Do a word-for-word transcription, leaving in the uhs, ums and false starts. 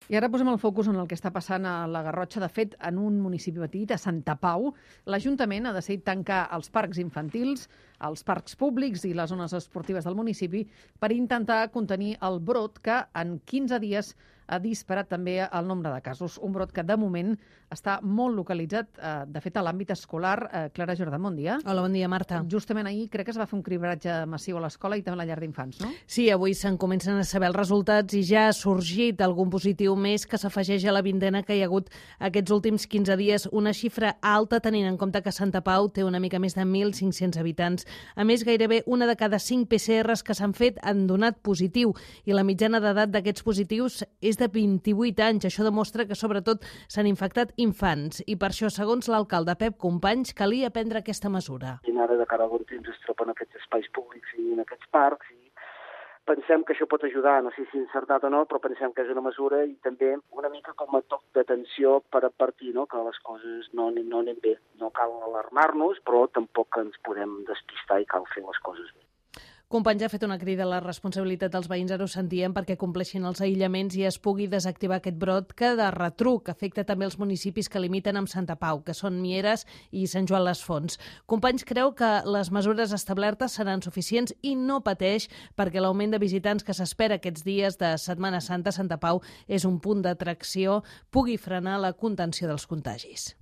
I ara posem el focus en el que està passant a la Garrotxa. De fet, en un municipi petit, a Santa Pau, l'Ajuntament ha decidit tancar els parcs infantils, els parcs públics i les zones esportives del municipi per intentar contenir el brot que en quinze dies ha disparat també el nombre de casos. Un brot que, de moment, està molt localitzat, eh, de fet, a l'àmbit escolar. Eh, Clara Jordà, bon dia. Hola, bon dia, Marta. Justament ahir crec que es va fer un cribratge massiu a l'escola i també a la llar d'infants, no? Sí, avui se'n comencen a saber els resultats i ja ha sorgit algun positiu més que s'afegeix a la vintena que hi ha hagut aquests últims quinze dies. Una xifra alta, tenint en compte que Santa Pau té una mica més de mil cinc-cents habitants. A més, gairebé una de cada cinc P C Rs que s'han fet han donat positiu i la mitjana d'edat d'aquests positius és de vint-i-vuit anys. Això demostra que, sobretot, s'han infectat infants i per això, segons l'alcalde Pep Companys, calia prendre aquesta mesura. I ara, de cara a bon temps, es troben en aquests espais públics i en aquests parcs i pensem que això pot ajudar, no sé si encertat o no, però pensem que és una mesura i també una mica com a toc d'atenció per advertir, no?, que les coses no, no anem bé. No cal alarmar-nos, però tampoc ens podem despistar i cal fer les coses bé. Companys ha fet una crida a la responsabilitat dels veïns, ara ho sentíem, perquè compleixin els aïllaments i es pugui desactivar aquest brot que de retruc afecta també els municipis que limiten amb Santa Pau, que són Mieres i Sant Joan les Fonts. Companys creu que les mesures establertes seran suficients i no pateix perquè l'augment de visitants que s'espera aquests dies de Setmana Santa a Santa Pau és un punt d'atracció, pugui frenar la contenció dels contagis.